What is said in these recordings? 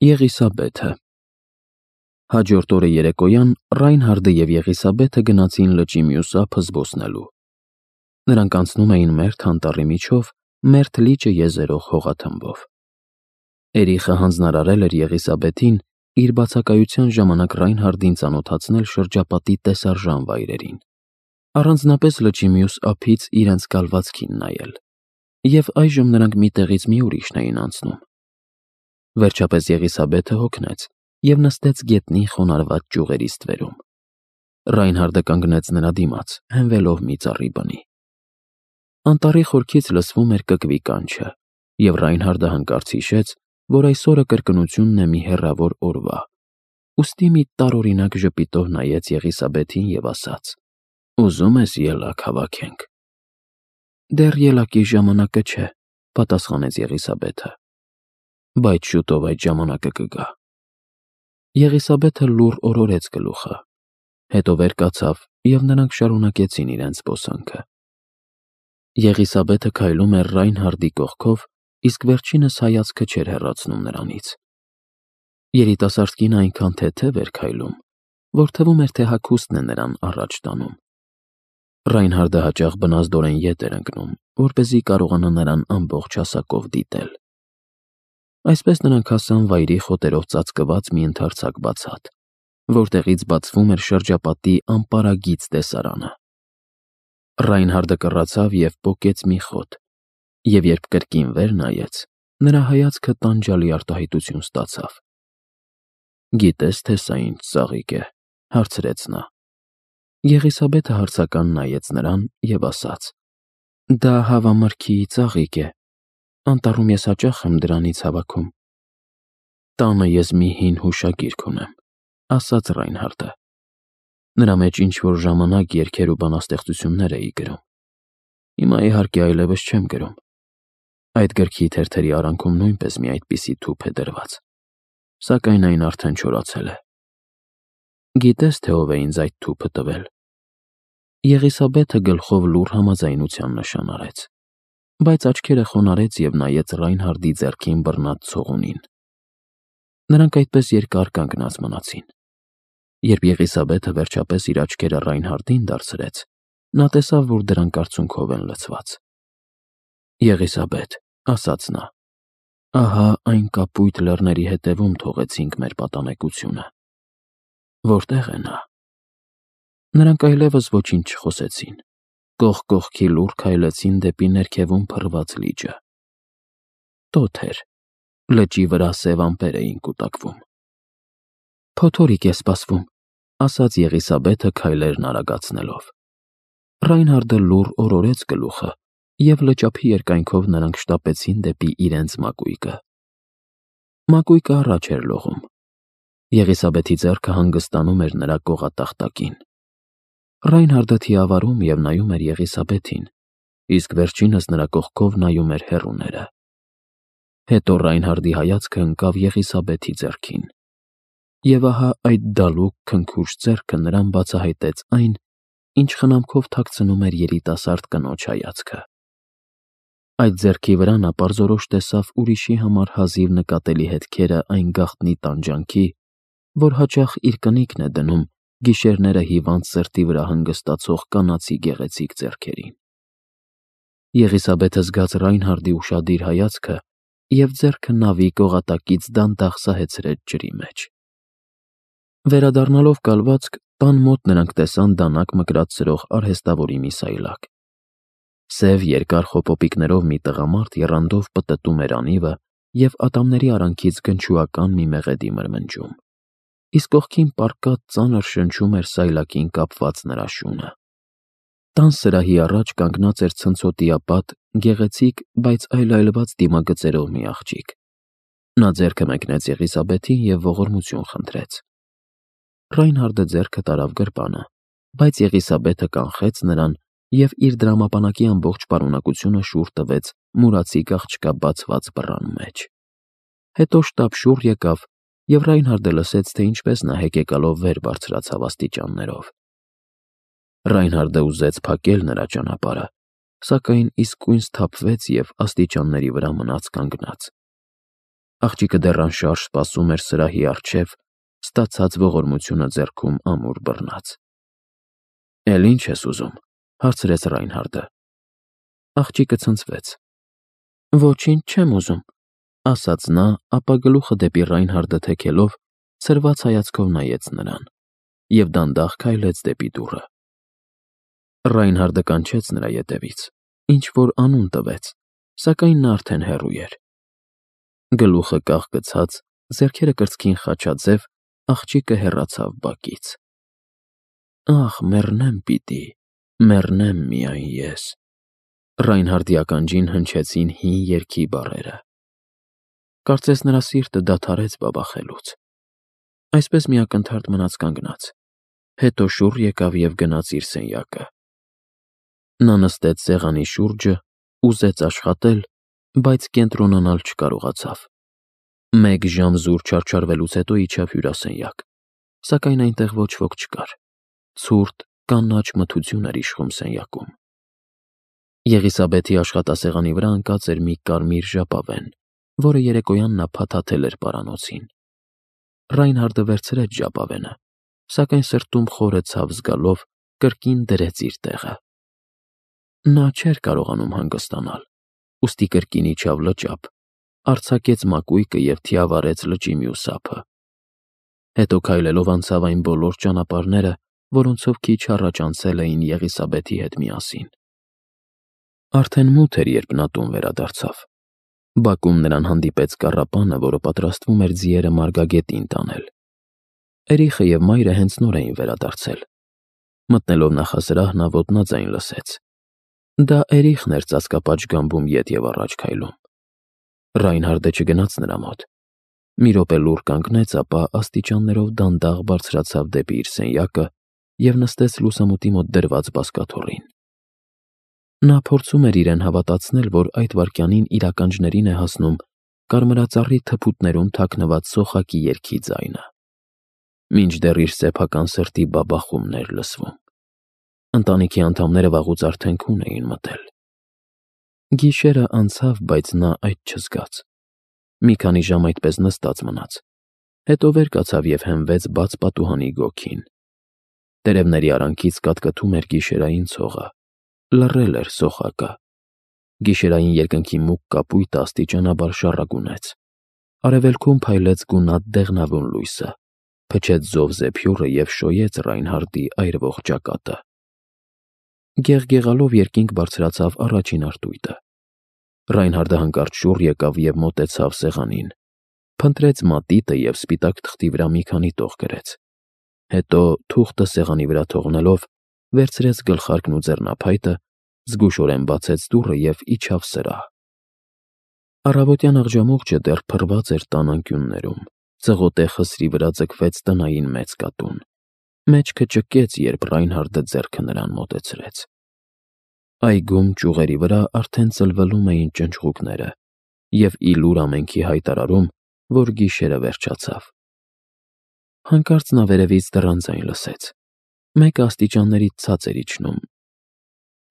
Եղիսաբեթը Հաջորդ օրը երեկոյան Ռայնհարդը և Եղիսաբեթը գնացին լճի մյուս ափը զբոսնելու։ Նրանք անցնում էին Մերթ անտառի միջով, Մերթ լիճը եզերող հողաթմբով։ Էրիխը հանձնարարել էր Եղիսաբեթին իր բացակայության ժամանակ Ռայնհարդին ծանոթացնել շրջապատի տեսարժան վայրերին, առանձնապես լճի մյուս ափից իրենց կալվածքին նայել, և այժմ նրանք մի տեղից մի ուրիշն էին անցնում։ Վերջապես Եղիսաբեթը հոգնեց և նստեց գետնի խոնարհված ճյուղերի ստվերում։ Ռայնհարդը կանգնեց նրա դիմաց, հենվելով մի ծառի բնի։ Անտառի խորքից լսվում էր կկվի կանչը, և Ռայնհարդը հանկարծ հիշեց, որ այս օրը կրկնությունն է մի հեռավոր օրվա, ուստի մի տարօրինակ ժպիտով նայեց Եղիսաբեթին և ասաց. «Ուզում ես ելակ հավաքենք»։ «Դեռ ելակի ժամանակը չէ», պատասխանեց Եղիսաբեթը, «բայց շուտով այդ ժամանակը կգա»։ Եղիսաբեթը լուռ օրորեց գլուխը, հետո վեր կացավ, և նրանք շարունակեցին իրենց զբոսանքը։ Եղիսաբեթը քայլում էր Ռայնհարդի կողքով, իսկ վերջինս հայացքը չէր հեռացնում նրանից։ Երիտասարդ կինը այնքան թեթև էր քայլում, որ թվում էր, թե հագուստն է նրան առաջ տանում։ Ռայնհարդը հաճախ բնազդորեն ետ էր ընկնում, որպեսզի կարողանա նրան ամբողջ հասակով դիտել։ Այսպես նրանք հասան վայրի խոտերով ծածկված մի ընդարձակ բացատ, որտեղից բացվում էր շրջապատի անպարագիծ տեսարանը։ Ռայնհարդը կռացավ և պոկեց մի խոտ, և երբ կրկին վեր նայեց, նրա հայացքը տանջալի արտահայտություն ստացավ։ «Գիտե՞ս, թե սա ինչ ծաղիկ է», հարցրեց նա։ Եղիսաբեթը հարցական նայեց նրան և ասաց. «Դա հավամրգի ծաղիկ է, անտառում ես հաճախ եմ դրանից հավաքում»։ «Տանը ես մի հին հուշագիրք ունեմ», ասաց Ռայնհարդը։ Նրա մեջ ինչ-որ ժամանակ երգեր ու բանաստեղծություններ էի գրում։ Հիմա իհարկե այլևս չեմ գրում։ Այդ գրքի թերթերի արանքում նույնպես մի այդպիսի թուփ է դրված, սակայն այն արդեն չորացել է։ Գիտե՞ս, թե ով է ինձ այդ թուփը տվել»։ Եղիսաբեթը գլխով լուռ համաձայնության նշան արեց, բայց աչքերը խոնարհեց և նայեց Ռայնհարդի ձեռքին բռնած ցողունին։ Նրանք այդպես երկար կանգնած մնացին։ Երբ Եղիսաբեթը վերջապես իր աչքերը Ռայնհարդին դարձրեց, նա տեսավ, որ դրանք արցունքով են լցված։ «Եղիսաբեթ», ասաց նա, «ահա այն կապույտ լեռների հետևում թողեցինք մեր պատանեկությունը»։ «Որտե՞ղ է նա»։ Նրանք այլևս ոչինչ չխոսեցին, կողք կողքի լուռ քայլեցին դեպի ներքևում փռված լիճը։ Տոթ էր, լճի վրա սև ամպեր էին կուտակվում։ «Փոթորիկ է սպասվում», ասաց Եղիսաբեթը քայլերն արագացնելով։ Ռայնհարդը լուռ օրորեց գլուխը, և լճափի երկայնքով նրանք շտապեցին դեպի իրենց մակույկը։ Մակույկը առաջ էր լողում։ Եղիսաբեթի ձեռքը հանգստանում էր նրա կողատախտակին։ Ռայնհարդը թիավարում և նայում էր Եղիսաբեթին, իսկ վերջինս նրա կողքով նայում էր հեռուները։ Հետո Ռայնհարդի հայացքը ընկավ Եղիսաբեթի ձեռքին, և ահա այդ դալուկ, քնքուշ ձեռքը նրան բացահայտեց այն, ինչ խնամքով թաքցնում էր երիտասարդ կնոջ հայացքը։ Այդ ձեռքի վրա նա պարզորոշ տեսավ ուրիշի համար հազիվ նկատելի հետքերը այն գաղտնի տանջանքի, որ հաճախ իր կնիկն է դնում գիշերները հիվանդ սրտի վրա հանգստացող կանացի գեղեցիկ ձեռքերին։ Եղիսաբեթը զգաց Ռայնհարդի ուշադիր հայացքը և ձեռքը նավի կողատակից դանդաղ սահեցրեց ջրի մեջ։ Վերադառնալով կալվածք, տան մոտ նրանք տեսան դանակ մկրատ սրող արհեստավորի մի սայլակ։ Սև երկար խոպոպիկներով մի տղամարդ եռանդով պտտում էր անիվը և ատամների արանքից գնչուական մի մեղեդի մրմնջում, իսկ կողքին պառկած ծանր շնչում էր սայլակին կապված նրա շունը։ Տան սրահի առաջ կանգնած էր ցնցոտիապատ, գեղեցիկ, բայց այլայլված դիմագծերով մի աղջիկ։ Նա ձեռքը մեկնեց Եղիսաբեթին և ողորմություն խնդրեց։ Ռայնհարդը ձեռքը տարավ գրպանը, բայց Եղիսաբեթը կանխեց նրան և իր դրամապանակի ամբողջ պարունակությունը շուռ տվեց մուրացիկ աղջկա բացված բռան մեջ։ Հետո շտապ շուռ եկավ, և Ռայնհարդը լսեց, թե ինչպես նա հեկեկալով վեր բարձրացավ աստիճաններով։ Ռայնհարդը ուզեց փակել նրա ճանապարհը, սակայն իսկույն սթափվեց և աստիճանների վրա մնաց կանգնած։ Աղջիկը դեռ անշարժ սպասում էր սրահի առջև, ստացած ողորմությունը ձեռքում ամուր բռնած։ «Էլ ինչ ես ուզում», հարցրեց Ռայնհարդը։ Աղջիկը ցնցվեց։ «Ոչինչ չեմ ուզում», ասաց նա, ապա գլուխը դեպի Ռայնհարդը թեքելով, ցրված հայացքով նայեց նրան և դանդաղ քայլեց դեպի դուռը։ Ռայնհարդը կանչեց նրա ետևից, ինչ-որ անուն տվեց, սակայն նա արդեն հեռու էր։ Գլուխը կաղկցած, ձեռքերը կրծքին խաչաձև, աղջիկը հեռացավ բակից։ «Ախ, մեռնեմ պիտի, մեռնեմ միայն ես», Ռայնհարդի ականջին հնչեցին հին երգի բառերը։ Կարծես նրա սիրտը դադարեց բաբախելուց։ Այսպես մի ակնթարթ մնաց կանգնած, հետո շուռ եկավ և գնաց իր սենյակը։ Նա նստեց սեղանի շուրջը, ուզեց աշխատել, բայց կենտրոնանալ չկարողացավ։ 1 ժամ զուր չարչարվելուց հետո իջավ հյուրասենյակ, սակայն այնտեղ ոչ ոք չկար։ Ցուրտ, կանաչ մթություն էր իշխում սենյակում։ Եղիսաբեթի աշխատասեղանի վրա ընկած էր մի կարմիր ժապավեն, որը երեկոյան նա փաթաթել էր պարանոցին։ Ռայնհարդը վերցրեց ժապավենը, սակայն սրտում խորը ցավ զգալով կրկին դրեց իր տեղը։ Նա չէր կարողանում հանգստանալ, ուստի կրկին իջավ լճափ, արձակեց մակույկը և թիավարեց լճի մյուս ափը։ Հետո քայլելով անցավ այն բոլոր ճանապարհները, որոնցով քիչ առաջ անցել էին Եղիսաբեթի հետ միասին։ Արդեն մութ էր, երբ նա տուն վերադարձավ։ Բակում նրան հանդիպեց կառապանը, որը պատրաստվում էր ձիերը մարգագետին տանել։ Էրիխը և մայրը հենց նոր էին վերադարձել։ Մտնելով նախասրահ, նա ոտնաձայն լսեց։ Դա Էրիխն էր ծածկապատ գամբում ետ և առաջ քայլում։ Ռայնհարդը չգնաց նրա մոտ։ Մի րոպե լուռ կանգնեց, ապա աստիճաններով դանդաղ բարձրացավ դեպի իր սենյակը և նստեց լուսամուտի մոտ դրված բազկաթոռին։ Նա փորձում էր իրեն հավատացնել, որ այդ վայրկյանին իր ականջներին է հասնում կարմրածառի թփուտներում թաքնված սոխակի երգի ձայնը, մինչդեռ իր սեփական սրտի բաբախումն էր լսվում։ Ընտանիքի անդամները վաղուց արդեն քուն էին մտել։ Գիշերը անցավ, բայց նա այդ չզգաց։ Մի քանի ժամ այդպես նստած մնաց, հետո վեր կացավ և հենվեց բաց պատուհանի գոգին։ Տերևների արանքից կատկտում էր գիշերային ցողը, լռել էր սոխակը։ Գիշերային երկնքի մուգ կապույտը աստիճանաբար շառագունեց։ Արևելքում փայլեց գունատ դեղնավուն լույսը, փչեց զով զեփյուռը և շոյեց Ռայնհարդի այրվող ճակատը։ Գեղգեղալով երկինք բարձրացավ առաջին արտույտը։ Ռայնհարդը հանկարծ շուռ եկավ և մոտեցավ սեղանին, փնտրեց մատիտը և սպիտակ թղթի վրա մի քանի տող գրեց։ Հետո, թուղթը սեղանի վրա թողնելով, վերցրեց գլխարկն ու ձեռնափայտը, զգուշորեն բացեց դուռը և իջավ սրահ։ Առավոտյան աղջամուղջը դեռ փռված էր տան անկյուններում, ծղոտե խսրի վրա ձգվեց տնային մեծ կատուն։ Մեջքը ճկեց, երբ Ռայնհարդը ձեռքը նրան մոտեցրեց։ Այգում ճյուղերի վրա արդեն ծլվելում էին ճնճղուկները և ի լուր ամենքի հայտարարում, որ գիշերը վերջացավ։ Հանկարծ նա վերևից դռան ձայն լսեց։ Մեկը աստիճաններից ցած էր իջնում։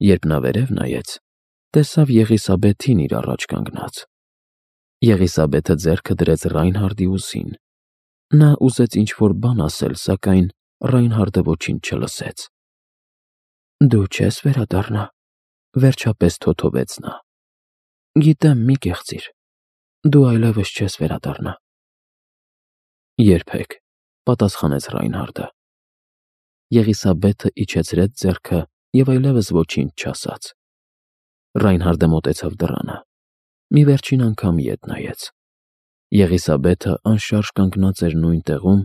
Երբ նա վերև նայեց, տեսավ Եղիսաբեթին իր առաջ կանգնած։ Եղիսաբեթը ձեռքը դրեց Ռայնհարդի ուսին։ Նա ուզեց ինչ-որ բան ասել, սակայն Ռայնհարդը ոչինչ չլսեց։ «Դու չես վերադառնա», վերջապես թոթովեց նա։ «Գիտեմ, մի կեղծիր։ Դու այլևս չես վերադառնա»։ «Երբեք», պատասխանեց Ռայնհարդը։ Եղիսաբեթը իջեցրեց ձեռքը և այլևս ոչինչ չասաց։ Ռայնհարդը մոտեցավ դռանը։ Մի վերջին անգամ ետ նայեց։ Եղիսաբեթը անշարժ կանգնած էր նույն տեղում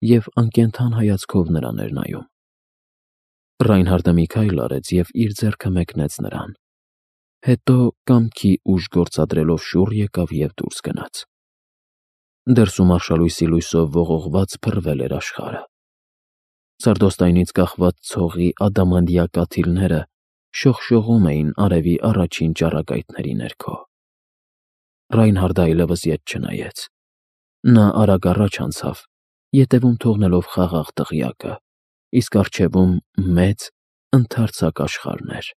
և անկենդան հայացքով նրան էր նայում։ Ռայնհարդը մի քայլ արեց և իր ձեռքը մեկնեց նրան։ Հետո կամքի ուժ գործադրելով շուռ եկավ և դուրս գնաց։ Դրսում արշալույսի լույսով ողողված փռվել էր աշխարհը։ Սարդոստայնից կախված ցողի ադամանդյա կաթիլները շողշողում էին արևի առաջին ճառագայթների ներքո։ Ռայնհարդը այլևս ետ չնայեց։ Նա արագ առաջ անցավ, ետևում թողնելով խաղաղ դղյակը, իսկ առջևում մեծ, ընդարձակ աշխարհն էր։